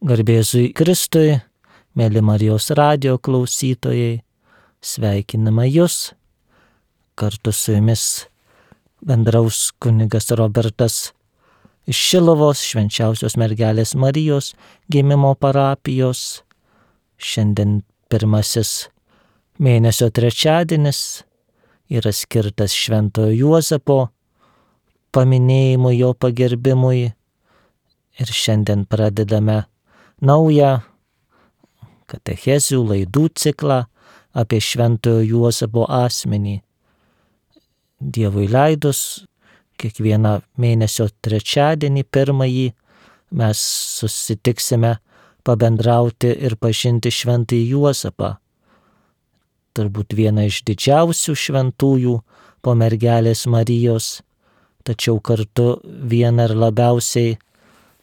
Garbė Jėzui Kristui, mėly Marijos radijo klausytojai, sveikiname Jus. Kartu su Jumis bendraus kunigas Robertas iš Šiluvos Švenčiausios Mergelės Marijos gimimo parapijos. Šiandien pirmasis mėnesio trečiadienis yra skirtas Šventojo Juozapo paminėjimui, jo pagerbimui. Ir šiandien pradedame naują katechezių laidų ciklą apie Šventojo Juozapo asmenį. Dievui leidus, kiekvieną mėnesio trečiadienį, pirmąjį, mes susitiksime pabendrauti ir pažinti Šventąjį Juozapą. Turbūt viena iš didžiausių šventųjų po mergelės Marijos, tačiau kartu viena ir labiausiai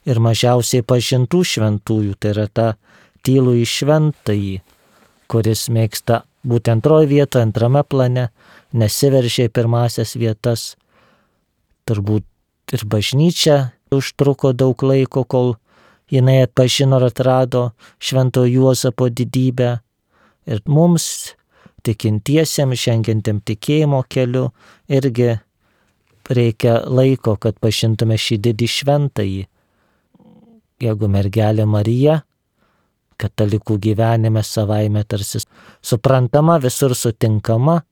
ir mažiausiai pažintų šventųjų, tai yra ta tylųjį šventąjį, kuris mėgsta būti antroje vietoje, antrame plane, nesiveržė į pirmasias vietas. Turbūt ir bažnyčia užtruko daug laiko, kol jinai atpažino ir atrado Šventojo Juozapo didybę. Ir mums, tikintiesiems, žengiantiem tikėjimo keliu, irgi reikia laiko, kad pažintume šį didį šventąjį. Jeigu mergelė Marija katalikų gyvenime savaime tarsi suprantama, visur sutinkama,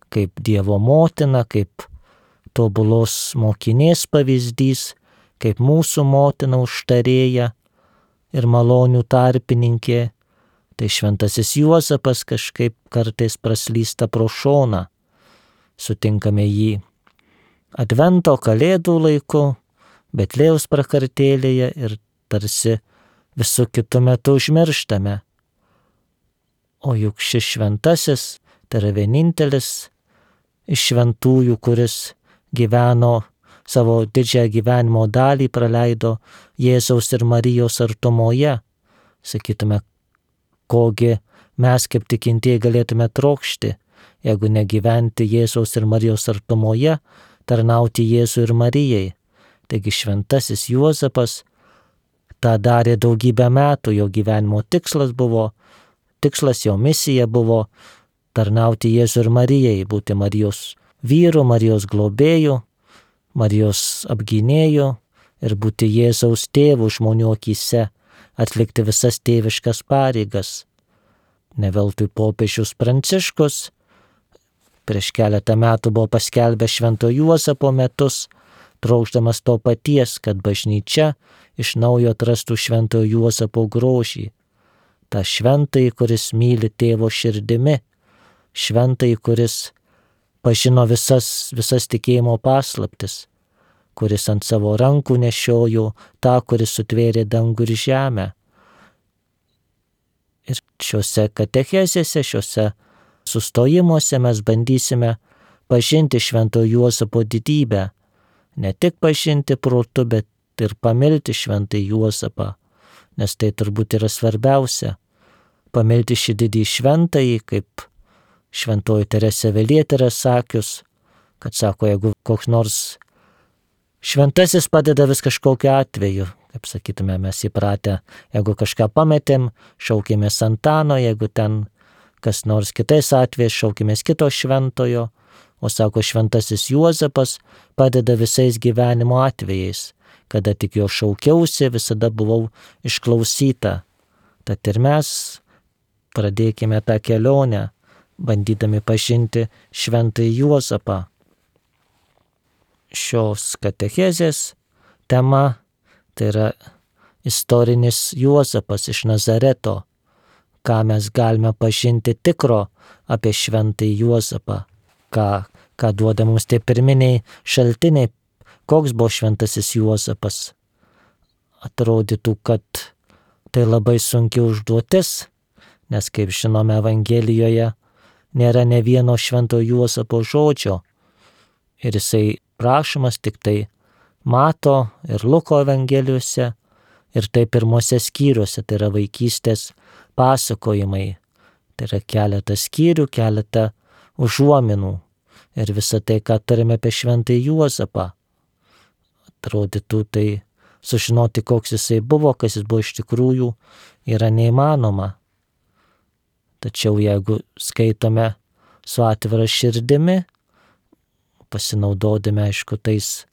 kaip Dievo motina, kaip tobulos mokinės pavyzdys, kaip mūsų motina užtarėja ir malonių tarpininkė, tai Šventasis Juozapas kažkaip kartais praslysta pro šoną. Sutinkame jį Advento Kalėdų laiku, Betlėjaus prakartėlėje ir tarsi visų kitų metų užmirštame. O juk šis šventasis, tai yra vienintelis iš šventųjų, kuris gyveno savo didžiąją gyvenimo dalį, praleido Jėzaus ir Marijos artumoje. Sakytume, kogi mes kaip tikintieji galėtume trokšti, jeigu negyventi Jėzaus ir Marijos artumoje, tarnauti Jėzui ir Marijai. Taigi Šventasis Juozapas tą darė daugybę metų, jo gyvenimo tikslas, jo misija buvo tarnauti Jėzui ir Marijai, būti Marijos vyru, Marijos globėju, Marijos apgynėju ir būti Jėzaus tėvu žmonių akyse, atlikti visas tėviškas pareigas. Ne veltui popiežius Pranciškus prieš keletą metų buvo paskelbęs Švento Juozapo metus, trokšdamas to paties, kad bažnyčia iš naujo atrastų Šventojo Juozapo grožį. Ta šventąjį, kuris myli tėvo širdimi, šventąjį, kuris pažino visas tikėjimo paslaptis, kuris ant savo rankų nešiojo tą, kuris sutvėrė dangų ir žemę. Ir šiuose katechezėse, šiuose sustojimuose mes bandysime pažinti Šventojo Juozapo didybę. Ne tik pažinti protu, bet ir pamilti Šventąjį Juozapą, nes tai turbūt yra svarbiausia. Pamilti šį didį šventąjį, kaip šventoji Teresė Avilietė yra sakius, kad sako, jeigu koks nors šventasis padeda vis kažkokiu atveju, kaip sakytume, mes įpratę, jeigu kažką pametėm, šaukėmės Antano, jeigu ten kas nors kitais atvejais, šaukėmės kito šventojo, o sako, Šventasis Juozapas padeda visais gyvenimo atvejais, kada tik jo šaukiausi, visada buvau išklausyta. Tad ir mes pradėkime tą kelionę, bandydami pažinti Šventąjį Juozapą. Šios katechezės tema tai yra istorinis Juozapas iš Nazareto, ką mes galime pažinti tikro apie Šventąjį Juozapą. Ką duoda mums tie pirminiai šaltiniai, koks buvo Šventasis Juozapas. Atrodytų, kad tai labai sunki užduotis, nes, kaip žinome, Evangelijoje nėra ne vieno Šventojo Juozapo žodžio. Ir jisai prašomas tik tai Mato ir Luko Evangelijose, ir tai pirmose skyriuose, tai yra vaikystės pasakojimai. Tai yra keletas skyrių, keletą užuominų ir visą tai, ką turime apie Šventąjį Juozapą. Atrodytų, tai sužinoti, koks jisai buvo, kas jis buvo iš tikrųjų, yra neįmanoma. Tačiau jeigu skaitome su atvira širdimi, pasinaudodami, aišku, tais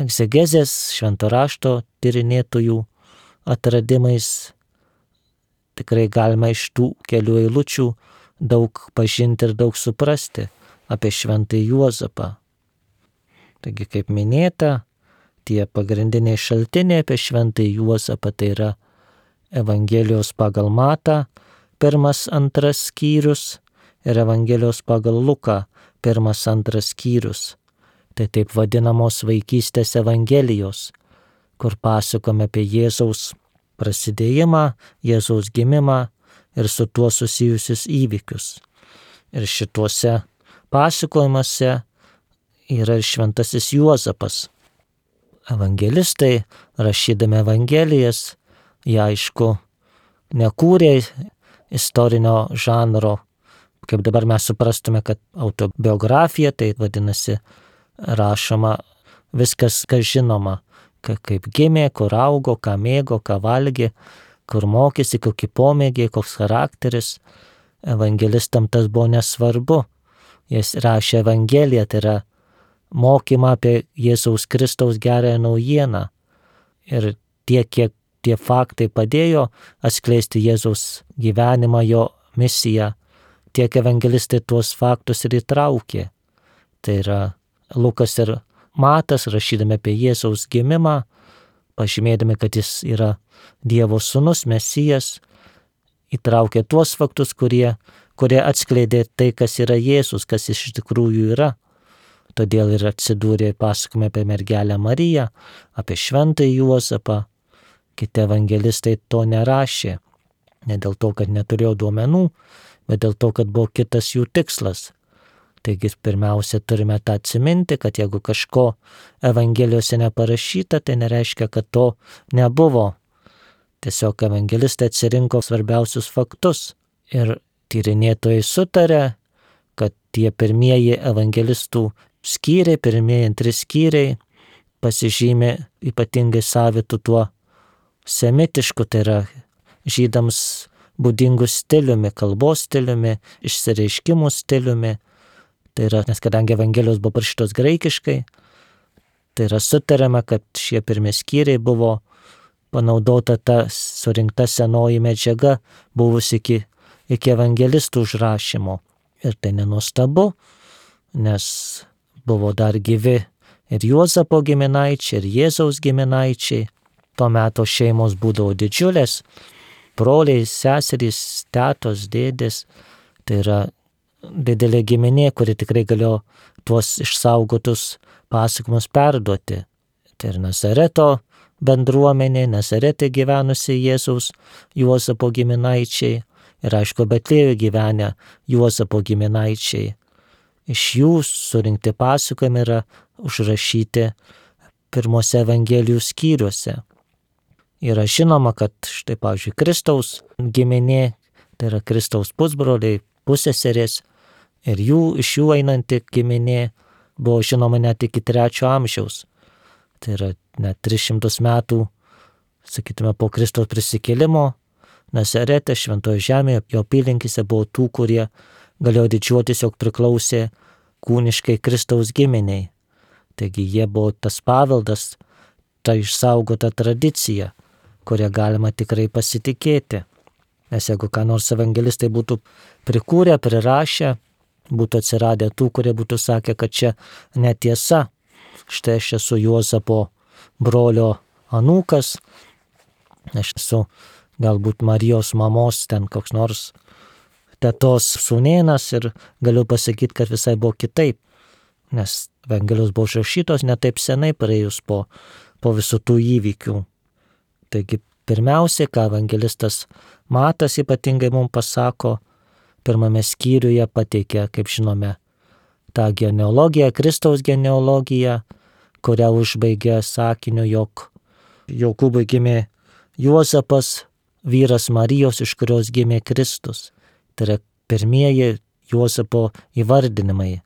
egzegezės, švento rašto tyrinėtojų atradimais, tikrai galima iš tų kelių eilučių daug pažinti ir daug suprasti apie šventąjį Juozapą. Taigi, kaip minėta, tie pagrindiniai šaltiniai apie šventąjį Juozapą tai yra Evangelijos pagal Matą, 1-2 skyrius ir Evangelijos pagal Luką, 1-2 skyrius. Tai taip vadinamos vaikystės Evangelijos, kur pasakome apie Jėzaus prasidėjimą, Jėzaus gimimą ir su tuo susijusius įvykius. Ir šituose pasakojimuose yra ir šventasis Juozapas. Evangelistai, rašydami Evangelijas, jie aišku nekūrė istorinio žanro, kaip dabar mes suprastume, kad autobiografija, tai vadinasi rašoma viskas, kas žinoma, kaip gimė, kur augo, ką mėgo, ką valgė, kur mokėsi, kokį pomėgį, koks charakteris. Evangelistam tas buvo nesvarbu. Jis rašė Evangeliją, tai yra mokymą apie Jėzaus Kristaus gerąją naujieną. Ir tiek, kiek tie faktai padėjo atskleisti Jėzaus gyvenimą, jo misiją, tiek evangelistai tuos faktus ir įtraukė. Tai yra Lukas ir Matas, rašydami apie Jėzaus gimimą, pažymėdami, kad jis yra Dievo sūnus, Mesijas, įtraukė tuos faktus, kurie atskleidė tai, kas yra Jėzus, kas jis iš tikrųjų yra. Todėl ir atsidūrė pasakojime apie mergelę Mariją, apie šventąjį Juozapą. Kiti evangelistai to nerašė. Ne dėl to, kad neturėjo duomenų, bet dėl to, kad buvo kitas jų tikslas. Taigi pirmiausia turime tą atsiminti, kad jeigu kažko Evangelijose neparašyta, tai nereiškia, kad to nebuvo. Tiesiog evangelistai atsirinko svarbiausius faktus. Ir tyrinėtojai sutarė, kad tie pirmieji evangelistų skyriai, pirmieji 2 skyriai pasižymė ypatingai savitu tuo semitišku, tai yra žydams būdingų stiliumi, kalbos stiliumi, išsireiškimų stiliumi. Tai yra, nes kadangi Evangelijos buvo parašytos graikiškai, tai yra sutariama, kad šie pirmi skyriai buvo panaudota ta surinkta senoji medžiaga buvusi iki evangelistų užrašymo. Ir tai nenuostabu, nes buvo dar gyvi ir Juozapo giminaičiai, ir Jėzaus giminaičiai. Tuo metu šeimos būdavo didžiulės, broliai, seserys, tetos, dėdės. Tai yra didelė giminė, kuri tikrai galėjo tuos išsaugotus pasakojimus perduoti. Tai ir Nazareto bendruomenė, Nazarete gyvenusi Jėzaus Juozapo giminaičiai ir aišku Betliejoje gyvenę Juozapo giminaičiai. Iš jų surinkti pasakojimai yra užrašyti pirmose Evangelijų skyriuose. Yra žinoma, kad štai, pavyzdžiui, Kristaus giminė, tai yra Kristaus pusbroliai, pusseserės, ir iš jų einanti giminė buvo žinoma net iki 3 amžiaus. Tai yra net 300 metų, sakytume, po Kristaus prisikėlimo, Nazarete, Šventoje žemėje, jo apylinkėse buvo tų, kurie galėjo didžiuotis, jog priklausė kūniškai Kristaus giminiai. Taigi jie buvo tas paveldas, ta išsaugota tradicija, kurią galima tikrai pasitikėti. Nes jeigu ką nors evangelistai būtų prikūrę, prirašę, būtų atsiradę tų, kurie būtų sakę, kad čia netiesa. Štai aš esu Juozapo brolio anūkas, aš esu galbūt Marijos mamos ten koks nors tetos sūnėnas ir galiu pasakyti, kad visai buvo kitaip. Nes Evangelijos buvo užrašytos ne taip senai praėjus po visų tų įvykių. Taigi pirmiausia, ką evangelistas Matas ypatingai mums pasako, pirmame skyriuje pateikia, kaip žinome, tą genealogiją, Kristaus genealogiją, kurią užbaigė sakiniu, jog Jokūbui gimė Juozapas, vyras Marijos, iš kurios gimė Kristus. Tai yra pirmieji Juozapo įvardinimai.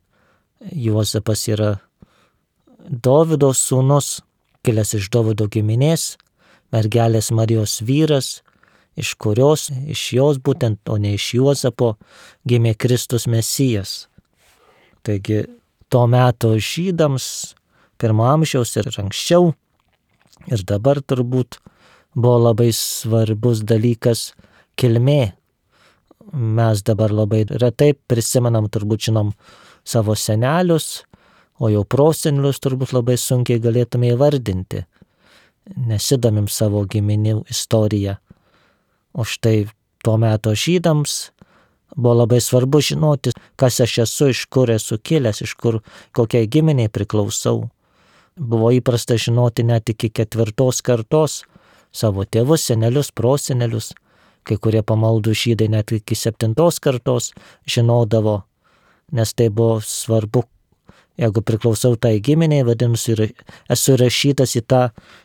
Juozapas yra Dovydo sūnus, kilęs iš Dovydo giminės, mergelės Marijos vyras, iš kurios, iš jos būtent, o ne iš Juozapo, gimė Kristus Mesijas. Taigi, to meto žydams, pirmo amžiaus ir anksčiau, ir dabar turbūt buvo labai svarbus dalykas kilmė. Mes dabar labai retai prisimenam, turbūt žinom savo senelius, o jau prosenelius turbūt labai sunkiai galėtume įvardinti. Nesidomim savo giminių istoriją. O štai tuo meto žydams buvo labai svarbu žinoti, kas aš esu, iš kur esu kilęs, iš kur kokiai giminiai priklausau. Buvo įprasta žinoti net iki 4 kartos savo tėvus, senelius, prosenelius. Kai kurie pamaldų žydai net iki 7 kartos žinodavo, nes tai buvo svarbu. Jeigu priklausau tai giminiai, vadinasi, esu rašytas į tą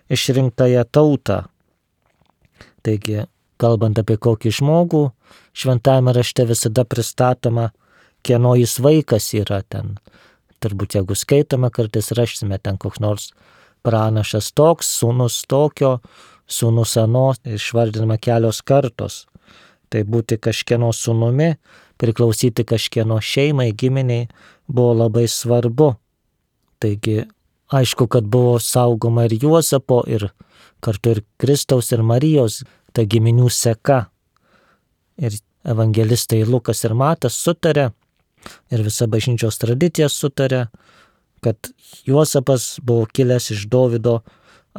išrinktąją tautą. Taigi, kalbant apie kokį žmogų, šventajame rašte visada pristatoma, kieno jis vaikas yra ten. Turbūt jeigu skaitome, kartais rašsime ten koks nors pranašas toks, sūnus tokio, sūnus ano, išvardinama kelios kartos. Tai būti kažkieno sūnumi, priklausyti kažkieno šeimai, giminiai buvo labai svarbu. Taigi, aišku, kad buvo saugoma ir Juozapo, ir kartu ir Kristaus ir Marijos ta giminių seka. Ir evangelistai Lukas ir Matas sutarė, ir visa bažnyčios tradicija sutarė, kad Juozapas buvo kilęs iš Dovydo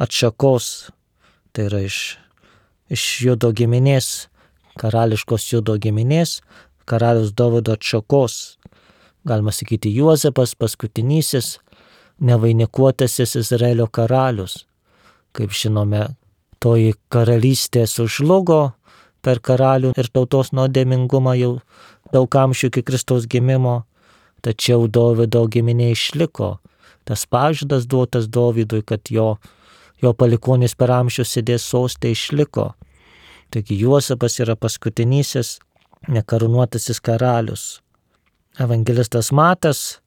atšakos, tai yra iš Judo giminės, karališkos Judo giminės, karalius Dovydo atšakos. Galima sakyti, Juozapas paskutinysis, nevainikuotasis Izraelio karalius. Kaip žinome, toji karalystė sužlugo per karalių ir tautos nuodėmingumą jau daug amžių iki Kristaus gimimo, tačiau Dovydo giminė išliko. Tas pažadas duotas Dovydui, kad jo palikuonis per amžius sėdės soste, išliko. Taigi Juozapas yra paskutinysis nekarūnuotasis karalius. Evangelistas Matas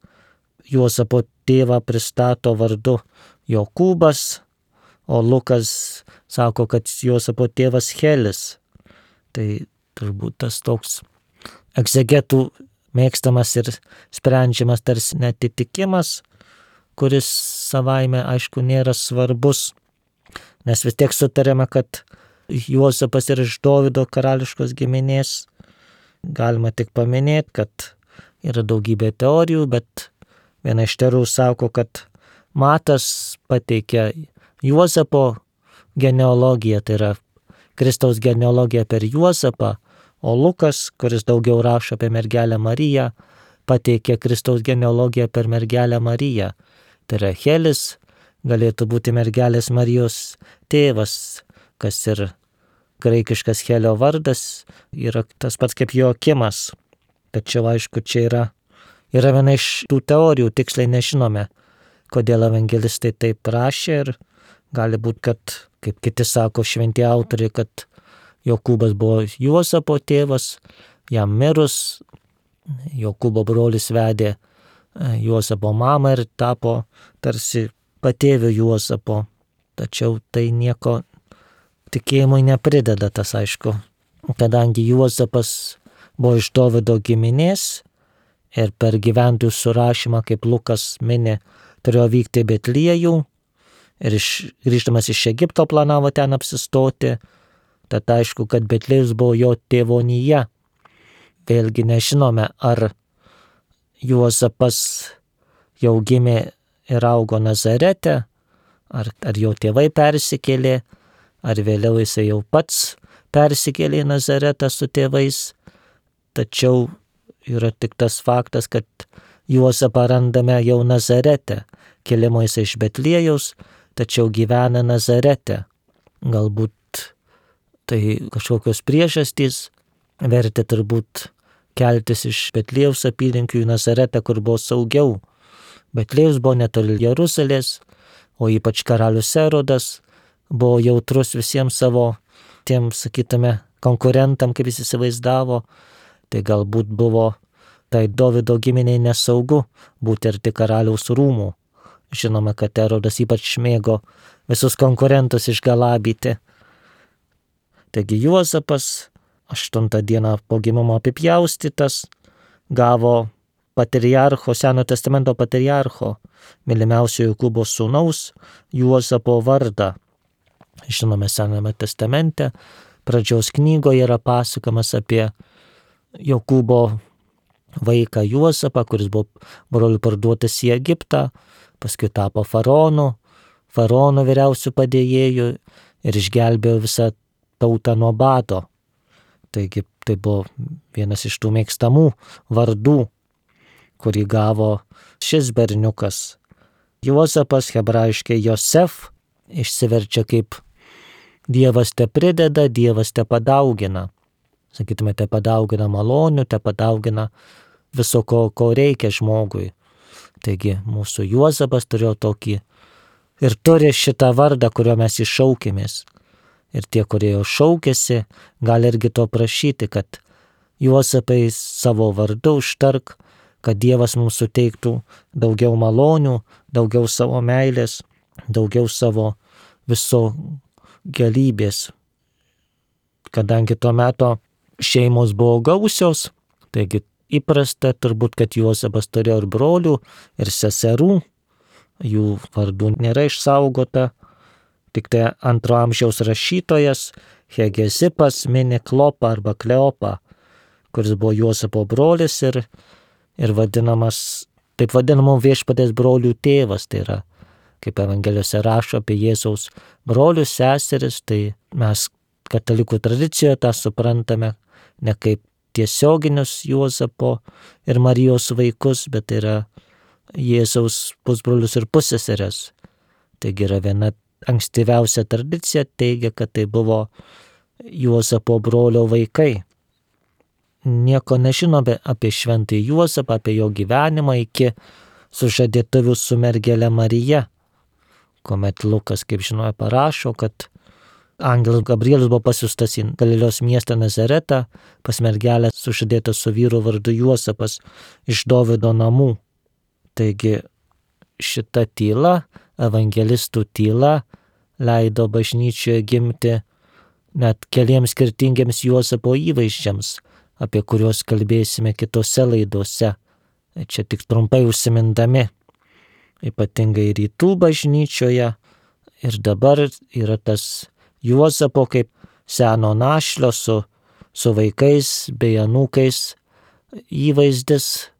Juozapo tėvą pristato vardu Jokūbas, o Lukas sako, kad Juozapo tėvas Helis. Tai turbūt tas toks egzegetų mėgstamas ir sprendžiamas tarsi netitikimas, kuris savaime, aišku, nėra svarbus, nes vis tiek sutarėme, kad Juozapas yra iš Dovydo karališkos giminės. Galima tik paminėti, kad yra daugybė teorijų, bet viena iš teorijų sako, kad Matas pateikia Juozapo genealogiją, tai yra Kristaus genealogiją per Juozapą, o Lukas, kuris daugiau rašo apie mergelę Mariją, pateikia Kristaus genealogiją per mergelę Mariją. Tai yra Helis, galėtų būti mergelės Marijos tėvas, kas ir graikiškas Helio vardas, yra tas pats kaip Joakimas. Tačiau aišku, čia yra viena iš tų teorijų, tiksliai nežinome, kodėl evangelistai taip rašė, ir gali būti, kad, kaip kiti sako šventi autoriai, kad Jokūbas buvo Juozapo tėvas, jam mirus Jokūbo brolis vedė Juozapo mamą ir tapo tarsi patėviu Juozapo. Tačiau tai nieko tikėjimui neprideda, tas aišku, kadangi Juozapas buvo iš Dovydo giminės ir per gyventojų surašymą, kaip Lukas mini, turėjo vykti į Betliejų ir grįždamas iš Egipto planavo ten apsistoti. Tad aišku, kad Betliejus buvo jo tėvonija. Vėlgi nežinome, ar Juozapas jau gimė ir augo Nazarete, ar jo tėvai persikėlė, ar vėliau jisai jau pats persikėlė į Nazaretą su tėvais. Tačiau yra tik tas faktas, kad Juozapą randame jau Nazarete. Kilimo jisai iš Betliejaus, tačiau gyvena Nazarete. Galbūt tai kažkokios priežastys vertė turbūt keltis iš Betliejaus apylinkių į Nazaretą, kur buvo saugiau. Betliejus buvo netoli Jeruzalės, o ypač karalius Erodas buvo jautrus visiems savo tiem, sakytume, konkurentam, kaip jis įsivaizdavo. Tai galbūt buvo tai Dovydo giminiai nesaugu būti arti karaliaus rūmų. Žinoma, kad Erodas ypač mėgo visus konkurentus išgalabyti. Taigi Juozapas 8 dieną po gimimo apipjaustytas, gavo patriarcho, Seno testamento patriarcho, mylimiausio Jokūbo sūnaus Juozapo vardą. Žinome, Sename testamente pradžios knygoje yra pasakojimas apie Jokūbo vaiką Juozapą, kuris buvo brolių parduotas į Egiptą, paskui tapo faraono vyriausių padėjėjų ir išgelbėjo visą tautą nuo bado. Taigi tai buvo vienas iš tų mėgstamų vardų, kurį gavo šis berniukas. Juozapas, hebrajiškai Josef, išsiverčia kaip Dievas te prideda, Dievas te padaugina. Sakytume, te padaugina malonių, te padaugina viso, ko reikia žmogui. Taigi mūsų Juozapas turėjo tokį ir turi šitą vardą, kurio mes iššaukėmės. Ir tie, kurie jau šaukėsi, gali irgi to prašyti, kad Juozapai savo vardu užtark, kad Dievas mums suteiktų daugiau malonių, daugiau savo meilės, daugiau savo viso galybės. Kadangi tuo metu šeimos buvo gausios, taigi įprasta turbūt, kad Juozapas turėjo ir brolių, ir seserų, jų vardų nėra išsaugota, tik tai 2 amžiaus rašytojas Hegezipas mini Klopą arba Kleopą, kuris buvo Juozapo brolis ir vadinamas, taip vadinamų viešpaties brolių tėvas, tai yra, kaip Evangelijose rašo apie Jėzaus brolius, seseris, tai mes katalikų tradicijoje tą suprantame ne kaip tiesioginius Juozapo ir Marijos vaikus, bet tai yra Jėzaus pusbrolius ir pusseseres. Taigi yra viena ankstyviausia tradicija teigia, kad tai buvo Juozapo brolio vaikai. Nieko nežinome apie šventąjį Juozapą, apie jo gyvenimą iki sužadėtuvių su mergele Marija, kuomet Lukas, kaip žinojo, parašo, kad angelas Gabrielius buvo pasiųstas į Galilėjos miestą Nazaretą pas mergelę sužadėtą su vyru vardu Juozapas iš Dovydo namų. Taigi šita tyla, evangelistų tyla, leido bažnyčioje gimti net keliems skirtingiems Juozapo įvaizdžiams, apie kuriuos kalbėsime kitose laidose. Čia tik trumpai užsimindami. Ypatingai rytų bažnyčioje ir dabar yra tas Juozapo kaip seno našlio su vaikais bei anūkais įvaizdis.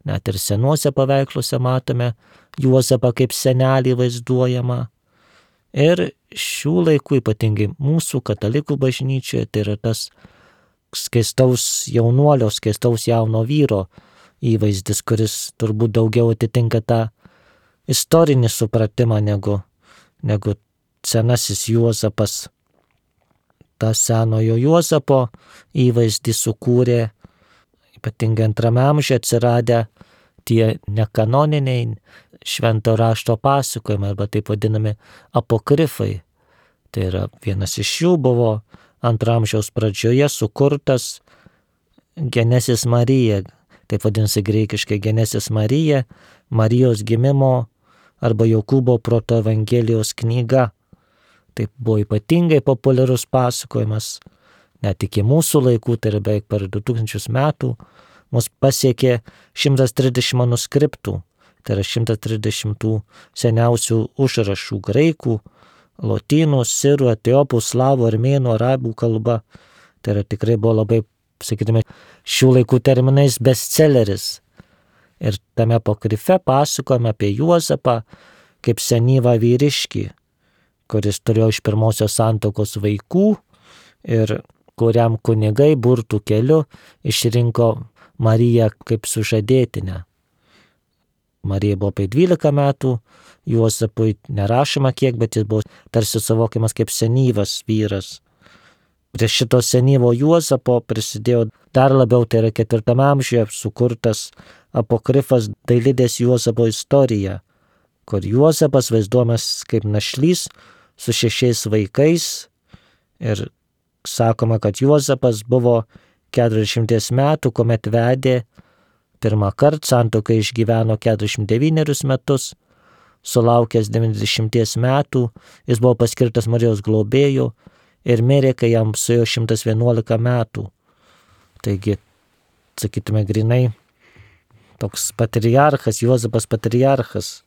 Net ir senuose paveiksluose matome Juozapą kaip senelį vaizduojamą. Ir šių laikų, ypatingai mūsų katalikų bažnyčioje, tai yra tas skaistaus jaunuolio, skaistaus jauno vyro įvaizdis, kuris turbūt daugiau atitinka tą istorinį supratimą negu senasis Juozapas. Ta senojo Juozapo įvaizdį sukūrė ypatingai 2 amžiuje atsiradę tie nekanoniniai švento rašto pasakojimai arba taip vadinami apokrifai. Tai yra vienas iš jų buvo 2 amžiaus pradžioje sukurtas Genesis Marija, taip vadinasi greikiškai Genesis Marija, Marijos gimimo arba Jokūbo proto Evangelijos knyga. Tai buvo ypatingai populiarus pasakojimas, net iki mūsų laikų, tai yra beveik per 2000 metų, mus pasiekė 130 manuskriptų, tai yra 130 tų seniausių užrašų graikų, lotynų, sirų, etiopų, slavų, armėnų, arabų kalba. Tai yra tikrai buvo labai, sakytume, šių laikų terminais bestselleris. Ir tame apokrife pasakojame apie Juozapą kaip senyvą vyriškį, kuris turėjo iš pirmosios santuokos vaikų ir kuriam kunigai burtų keliu išrinko Mariją kaip sužadėtinę. Marija buvo apie 12 metų, Juozapui nerašoma kiek, bet jis buvo tarsi suvokiamas kaip senyvas vyras. Prie šito senyvo Juozapo prisidėjo dar labiau, tai yra 4 amžiuje sukurtas apokrifas Dailidės Juozapo istorija, kur Juozapas vaizduojamas kaip našlys su 6 vaikais ir sakoma, kad Juozapas buvo 40 metų, kuomet vedė pirmą kartą, santuoką išgyveno 49 metus, sulaukęs 90 metų, jis buvo paskirtas Marijos globėjų ir mirė, kai jam suėjo 111 metų. Taigi, sakytume, grinai toks patriarchas, Juozapas patriarchas.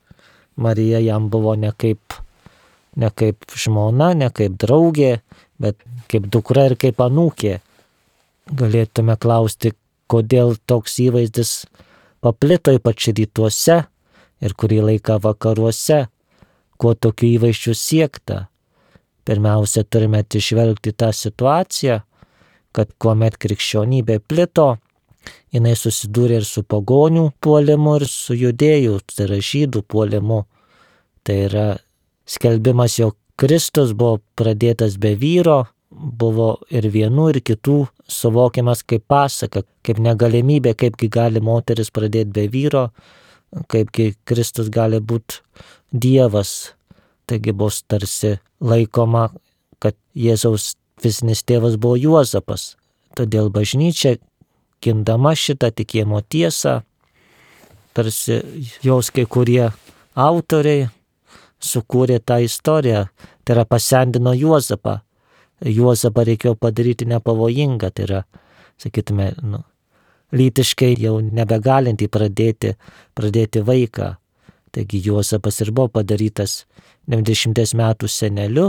Marija jam buvo ne kaip žmona, ne kaip draugė, bet kaip dukra ir kaip anūkė. Galėtume klausti, kodėl toks įvaizdis paplito ypač rytuose ir kurį laiką vakaruose, kuo tokių įvaizdžių siekta. Pirmiausia, turime atsižvelgti tą situaciją, kad kuomet krikščionybė plito, jinai susidūrė ir su pagonių puolimu, ir su judėjų, tai yra žydų puolimu. Tai yra skelbimas, jog Kristus buvo pradėtas be vyro, buvo ir vienų, ir kitų suvokiamas kaip pasaka, kaip negalimybė, kaipgi gali moteris pradėti be vyro, kaipgi Kristus gali būti Dievas. Taigi bus tarsi laikoma, kad Jėzaus fizinis tėvas buvo Juozapas. Todėl bažnyčia, gindama šitą tikėjimo tiesą, tarsi jos kai kurie autoriai sukūrė tą istoriją, tai yra pasendino Juozapą. Juozapą reikėjo padaryti nepavojingą, tai yra, sakytume, lytiškai jau nebegalinti pradėti vaiką. Taigi Juozapas ir buvo padarytas 90 metų seneliu,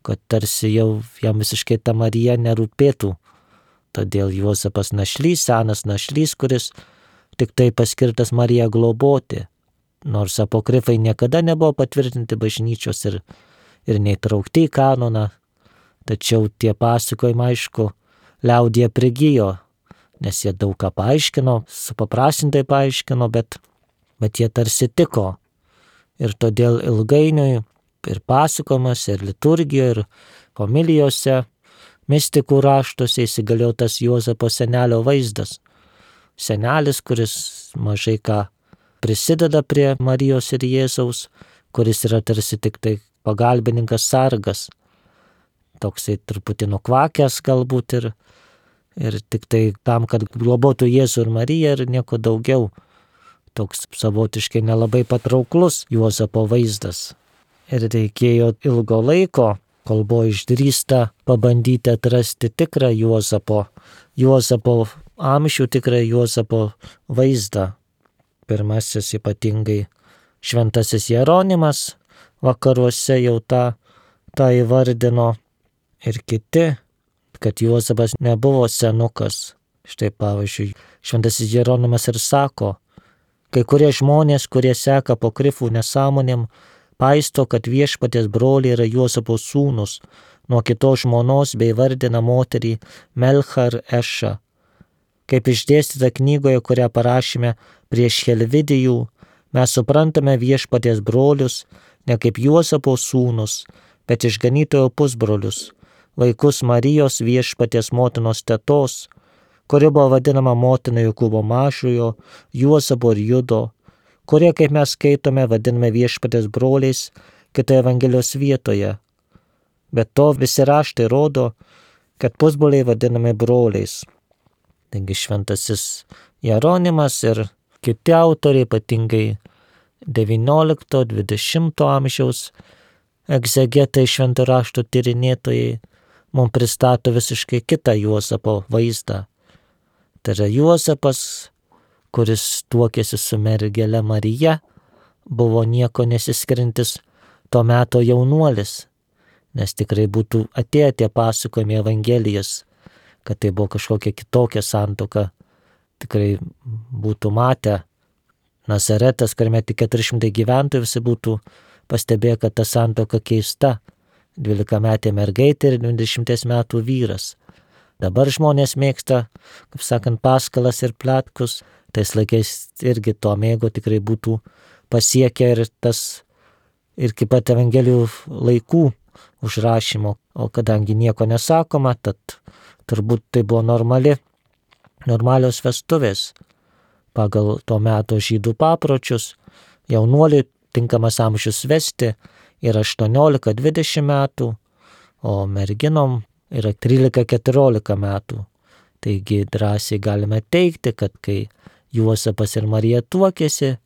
kad tarsi jau jam visiškai ta Marija nerūpėtų. Todėl Juozapas našlys, senas našlys, kuris tik tai paskirtas Mariją globoti. Nors apokrifai niekada nebuvo patvirtinti bažnyčios ir neįtraukti į kanoną, tačiau tie pasakojimai, aišku, liaudyje prigijo, nes jie daug ką paaiškino, supaprastintai paaiškino, bet jie tarsi tiko. Ir todėl ilgainiui ir pasakojimas, ir liturgijoje, ir homilijose, mistikų raštuose įsigalėjo tas Juozapo senelio vaizdas. Senelis, kuris mažai ką prisideda prie Marijos ir Jėzaus, kuris yra tarsi tik tai pagalbininkas, sargas. Toksai truputį nukvakęs galbūt ir tik tai tam, kad globotų Jėzų ir Mariją ir nieko daugiau. Toks savotiškai nelabai patrauklus Juozapo vaizdas. Ir reikėjo ilgo laiko, kol buvo išdrįsta pabandyti atrasti tikrą Juozapo amžių, tikrą Juozapo vaizdą. Pirmasis ypatingai šventasis Jeronimas vakaruose jau tą įvardino ir kiti, kad Juozapas nebuvo senukas. Štai pavyzdžiui, šventasis Jeronimas ir sako, kai kurie žmonės, kurie seka apokrifų nesąmonėm, paisto, kad viešpaties broliai yra Juozapo sūnus, nuo kitos žmonos bei vardina moterį Melchar Ešą. Kaip išdėstyta knygoje, kurią parašėme prieš Helvidijų, mes suprantame viešpaties brolius ne kaip Juozapo sūnus, bet išganytojo pusbrolius, vaikus Marijos viešpaties motinos tetos, kuri buvo vadinama motina Jokūbo mažojo, Juozapo ir Judo, kurie, kaip mes skaitome, vadiname viešpaties broliais kitoje Evangelijos vietoje. Bet to visi raštai rodo, kad pusbroliai vadinami broliais. Taigi šventasis Jeronimas ir kiti autoriai, ypatingai 19-20 amžiaus egzegetai, švento rašto tyrinėtojai, mums pristato visiškai kitą Juozapo vaizdą. Tai yra Juozapas, kuris tuokėsi su mergele Marija, buvo nieko nesiskiriantis to meto jaunuolis, nes tikrai būtų atėję tie pasakojimai Evangelijas, kad tai buvo kažkokia kitokia santuoka, tikrai būtų matę Nazaretas, kuriame tik 400 gyventojų, visi būtų pastebėję, kad ta santuoka keista, 12-metė mergaitė ir 20 metų vyras. Dabar žmonės mėgsta, kaip sakant, paskalas ir pletkus, tais laikais irgi to mėgo, tikrai būtų pasiekę ir iki pat Evangelijų laikų užrašymo, o kadangi nieko nesakoma, tad turbūt tai buvo normalios vestuvės. Pagal to meto žydų papročius jaunuoliui tinkamas amžius vesti yra 18-20 metų, o merginom yra 13-14 metų. Taigi drąsiai galime teigti, kad kai Juozapas ir Marija tuokėsi,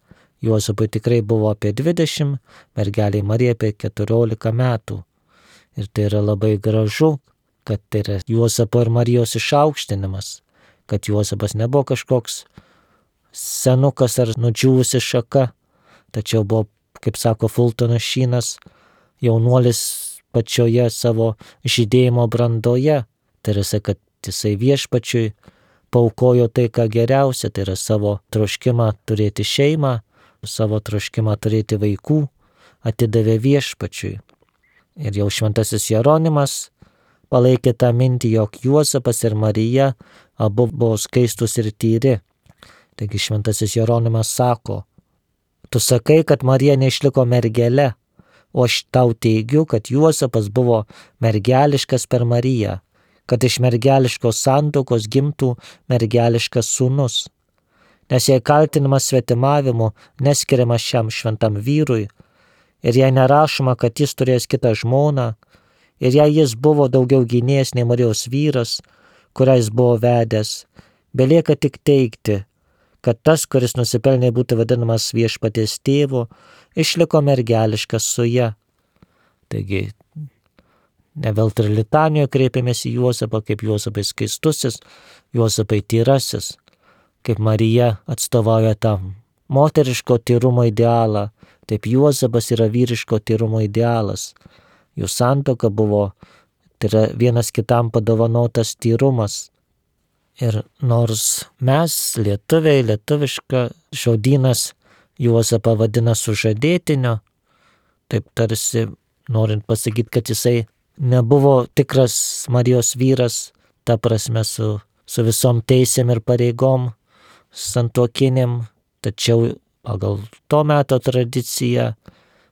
Juozapui tikrai buvo apie 20, mergeliai Marijai apie 14 metų. Ir tai yra labai gražu, kad tai yra Juozapo ir Marijos išaukštinimas, kad Juozapas nebuvo kažkoks senukas ar nudžiūvusi šaka, tačiau buvo, kaip sako Fultonas Šynas, jaunuolis pačioje savo žydėjimo brandoje. Tai yra, kad jisai viešpačiui paaukojo tai, ką geriausia, tai yra savo troškimą turėti šeimą, savo troškimą turėti vaikų, atidavė viešpačiui. Ir jau šventasis Jeronimas palaikė tą mintį, jog Juozapas ir Marija abu buvo skaistus ir tyri. Taigi šventasis Jeronimas sako, tu sakai, kad Marija neišliko mergele, o aš tau teigiu, kad Juozapas buvo mergeliškas per Mariją, kad iš mergeliškos santuokos gimtų mergeliškas sūnus. Nes jei kaltinimas svetimavimu neskiriamas šiam šventam vyrui, ir jei nerašoma, kad jis turės kitą žmoną, ir jei jis buvo daugiau gynėjas nei Marijos vyras, kurią jis buvo vedęs, belieka tik teigti, kad tas, kuris nusipelnė būti vadinamas viešpaties tėvu, išliko mergeliškas su ja. Taigi, ne veltui litanijoje kreipiamės į Juozapą kaip Juozapai skaistusis, Juozapai tyrasis, kaip Marija atstovauja tam moteriško tyrumo idealą, taip Juozapas yra vyriško tyrumo idealas. Jų santuoka buvo, tai yra vienas kitam padovanotas tyrumas. Ir nors mes, lietuviai, lietuviška žodynas Juozapą vadina sužadėtiniu, taip tarsi norint pasakyti, kad jisai nebuvo tikras Marijos vyras, ta prasme su visom teisėm ir pareigom santuokinėm, tačiau pagal to meto tradiciją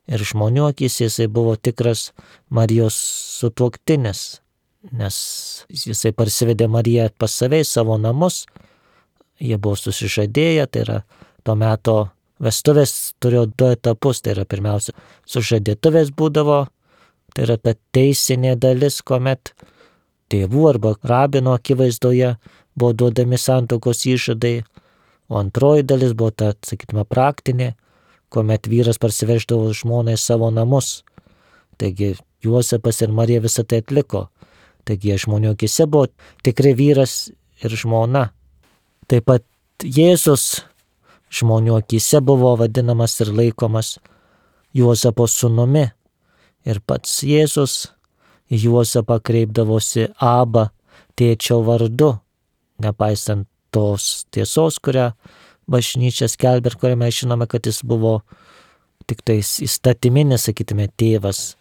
ir žmonių akis jisai buvo tikras Marijos sutuoktinis, nes jisai parsivedė Mariją pas save į savo namus, jie buvo susižadėję, tai yra to meto vestuvės turėjo 2 etapus, tai yra pirmiausia sužadėtuvės būdavo, tai yra ta teisinė dalis, kuomet tėvų arba rabino akivaizdoje buvo duodami santuokos įžadai, o antroji dalis buvo ta, sakytume, praktinė, kuomet vyras parsiveždavo žmoną į savo namus. Taigi Juozapas ir Marija visą tai atliko. Taigi žmonių akise buvo tikrai vyras ir žmona. Taip pat Jėzus žmonių akise buvo vadinamas ir laikomas Juozapo sūnumi. Ir pats Jėzus į Juozapą kreipdavosi Aba, tėčio vardu, nepaisant tos tiesos, kurią bažnyčia skelbia ir kurią mes žinome, kad jis buvo tik tais įstatyminis, sakytume, tėvas.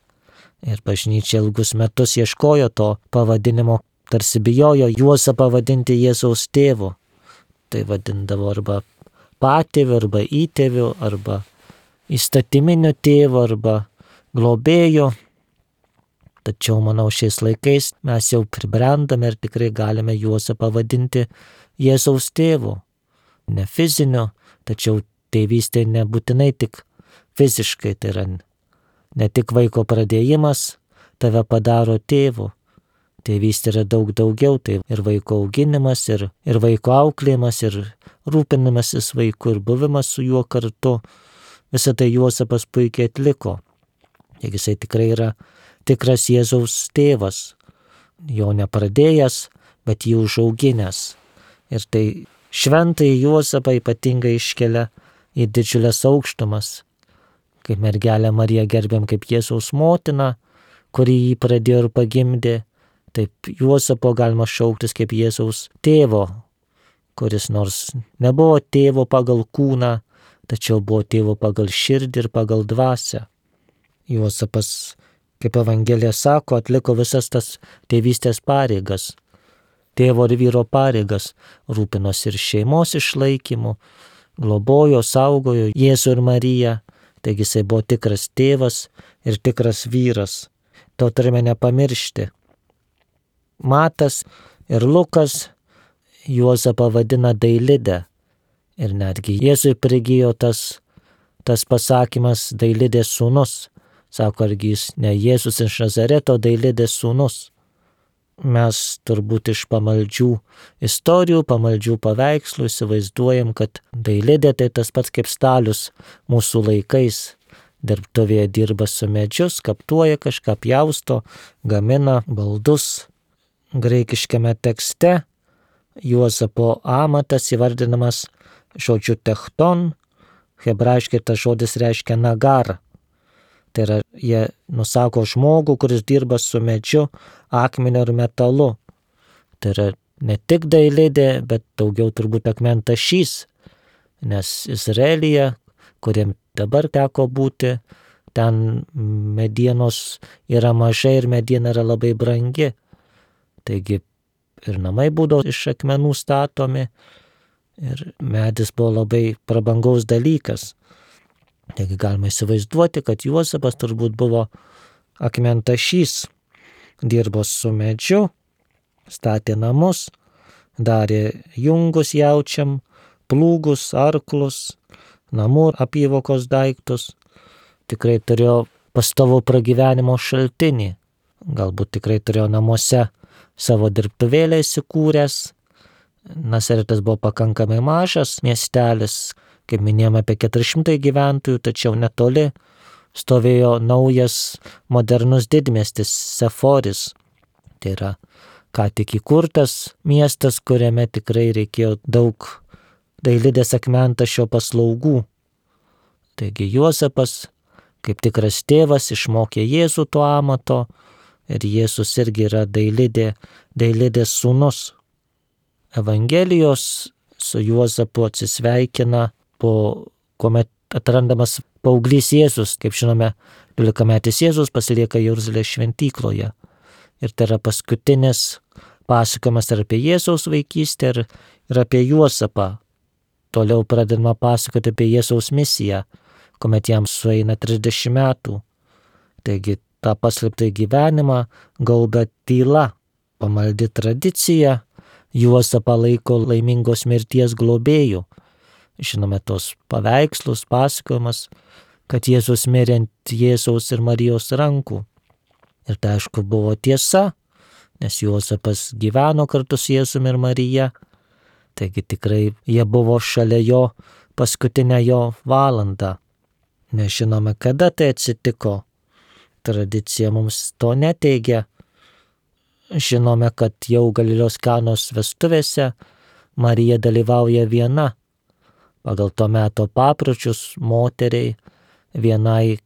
Ir bažnyčia ilgus metus ieškojo to pavadinimo, tarsi bijojo Juozapą vadinti Jėzaus tėvu. Tai vadindavo arba patėviu, arba įtėviu, arba įstatyminiu tėvu, arba globėju. Tačiau, manau, šiais laikais mes jau pribrendame ir tikrai galime Juozapą vadinti Jėzaus tėvu. Ne fiziniu, tačiau tėvystė nebūtinai tik fiziškai, tai yra ne tik vaiko pradėjimas tave padaro tėvu. Tėvystė yra daug daugiau, tai ir vaiko auginimas, ir vaiko auklėjimas, ir rūpinimasis vaiku, ir buvimas su juo kartu. Visą tai Juozapas puikiai atliko. Jisai tikrai yra tikras Jėzaus tėvas, jo nepradėjęs, bet jį užauginęs. Ir tai šventai Juozapą ypatingai iškelia į didžiulės aukštumas. Kaip mergelę Mariją gerbiam kaip Jėzaus motiną, kuri jį pradėjo ir pagimdė, taip Juozapo galima šauktis kaip Jėzaus tėvo, kuris nors nebuvo tėvo pagal kūną, tačiau buvo tėvo pagal širdį ir pagal dvasią. Juozapas, kaip Evangelija sako, atliko visas tas tėvystės pareigas, tėvo ir vyro pareigas, rūpinosi ir šeimos išlaikymu, globojo, saugojo Jėzų ir Mariją, taigi jisai buvo tikras tėvas ir tikras vyras. To turime nepamiršti. Matas ir Lukas Juozapą vadina Dailidę ir netgi Jėzui prigijo tas pasakymas Dailidės sūnus. Sako, argi jis ne Jėzus iš Nazareto Dailidės sūnus. mes turbūt iš pamaldžių istorijų, pamaldžių paveikslų įsivaizduojam, kad dailidė tai tas pats kaip stalius mūsų laikais. Dirbtuvėje dirba su medžiu, skaptuoja kažką, pjausto, gamina baldus. Graikiškame tekste Juozapo amatas įvardinamas žodžiu techton, hebrajiškai tas žodis reiškia nagar. Tai yra, jie nusako žmogų, kuris dirba su medžiu, akmeniu ir metalu. Tai yra ne tik dailidė, bet daugiau turbūt akmentašys, nes Izraelyje, kuriem dabar teko būti, ten medienos yra mažai ir mediena yra labai brangi. Taigi ir namai būdavo iš akmenų statomi ir medis buvo labai prabangaus dalykas. Taigi galima įsivaizduoti, kad Juozapas turbūt buvo akmentašys, dirbo su medžiu, statė namus, darė jungus jaučiam, plūgus, arklus, namų apyvokos daiktus. Tikrai turėjo pastovų pragyvenimo šaltinį. Galbūt tikrai turėjo namuose savo dirbtuvėlę įsikūręs. Nazaretas buvo pakankamai mažas miestelis, kaip minėjome, apie 400 gyventojų, tačiau netoli stovėjo naujas modernus didmiestis Seforis. Tai yra ką tik įkurtas miestas, kuriame tikrai reikėjo daug dailidės akmentašio paslaugų. Taigi Juozapas, kaip tikras tėvas, išmokė Jėzų to amato ir Jėzus irgi yra dailidės sūnus. Evangelijos su Juozapu atsisveikina kuomet atrandamas paauglys Jėzus. Kaip žinome, 12-metis Jėzus pasilieka Jeruzalės šventykloje. Ir tai yra paskutinis pasakojimas ir apie Jėzaus vaikystę ir apie Juozapą. Toliau pradedama pasakoti apie Jėzaus misiją, kuomet jam sueina 30 metų. Taigi tą paslėptą gyvenimą gaubia tyla, pamaldi tradicija, Juozapą laiko laimingos mirties globėjų. Žinome tos paveikslus, pasakojimas, kad Jėzus mirė ant Jėzaus ir Marijos rankų. Ir tai aišku buvo tiesa, nes Juozapas gyveno kartu su Jėzumi ir Marija. Taigi tikrai jie buvo šalia jo paskutinę jo valandą. Nežinome, kada tai atsitiko. Tradicija mums to neteigia. Žinome, kad jau Galilėjos Kanos vestuvėse Marija dalyvauja viena. Pagal to meto papročius moteriai vienai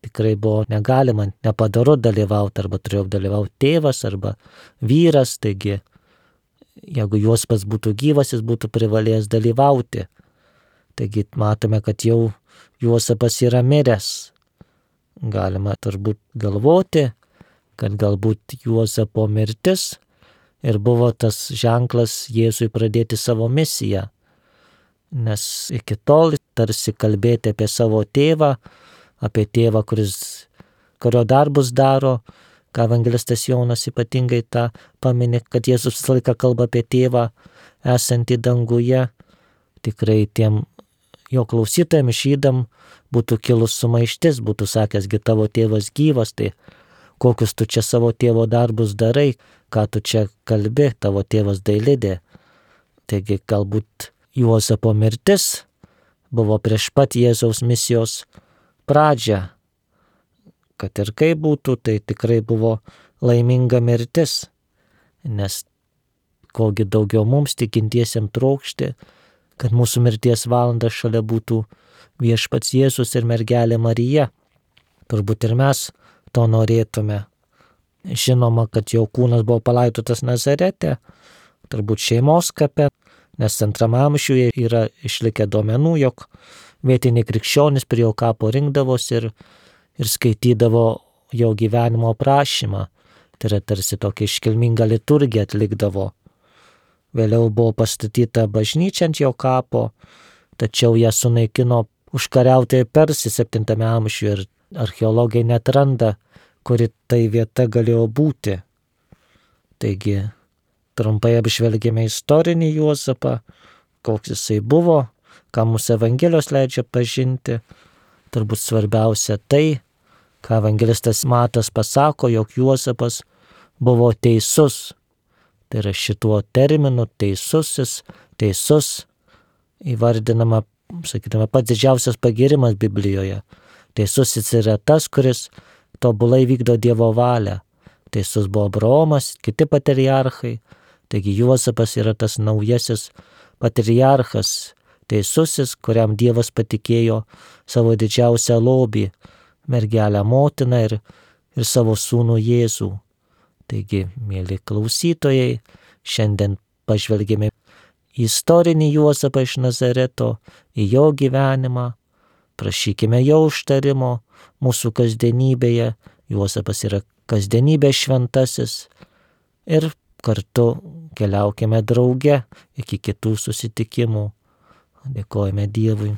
tikrai buvo negalima, nepadaru dalyvauti, arba turėjo dalyvauti tėvas arba vyras. Taigi, jeigu Juozapas būtų gyvas, jis būtų privalėjęs dalyvauti. Taigi matome, kad jau Juozapas yra miręs. Galima turbūt galvoti, kad galbūt Juozapo mirtis ir buvo tas ženklas Jėzui pradėti savo misiją. Nes iki tol tarsi kalbėti apie savo tėvą, apie tėvą, kurio darbus daro, ką evangelistas Jonas ypatingai tą pamini, kad Jėzus visą laiką kalba apie tėvą esantį danguje. Tikrai tiem jo klausytojams išydam būtų kilus sumaištis, būtų sakęsgi tavo tėvas gyvas, tai kokius tu čia savo tėvo darbus darai, ką tu čia kalbi, tavo tėvas dailidė. Taigi galbūt Juozapo mirtis buvo prieš pat Jėzaus misijos pradžią. Kad ir kaip būtų, tai tikrai buvo laiminga mirtis, nes kogi daugiau mums tikintiesiems trokšti, kad mūsų mirties valanda šalia būtų viešpats Jėzus ir mergelė Marija. Turbūt ir mes to norėtume. Žinoma, kad jo kūnas buvo palaidotas Nazarete, turbūt šeimos kape, nes 2 amžiuje yra išlikę duomenų, jog vietiniai krikščionys prie jo kapo rinkdavosi ir skaitydavo jo gyvenimo aprašymą. Tai yra tarsi tokia iškilminga liturgija atlikdavo. Vėliau buvo pastatyta bažnyčia ant jo kapo, tačiau ją sunaikino užkariautojai Persai 7 amžiuje ir archeologai neatranda, kuri tai vieta galėjo būti. Taigi, trumpai apžvelgėme istorinį Juozapą, koks jisai buvo, ką mūsų Evangelijos leidžia pažinti. Turbūt svarbiausia tai, ką evangelistas Matas pasako, jog Juozapas buvo teisus. Tai yra šituo terminu teisus įvardinama, sakydama, pats didžiausias pagirimas Biblijoje. Teisusis yra tas, kuris tobulai vykdo Dievo valią. Teisus buvo Abraomas, kiti patriarchai. Taigi Juozapas yra tas naujasis patriarchas, teisusis, kuriam Dievas patikėjo savo didžiausią lobį, mergelę motiną ir savo sūnų Jėzų. Taigi, mėly klausytojai, šiandien pažvelgėme į istorinį Juozapą iš Nazareto, į jo gyvenimą, prašykime jo užtarimo mūsų kasdienybėje. Juozapas yra kasdienybės šventasis ir kartu keliaukime drauge iki kitų susitikimų. Dėkojame Dievui.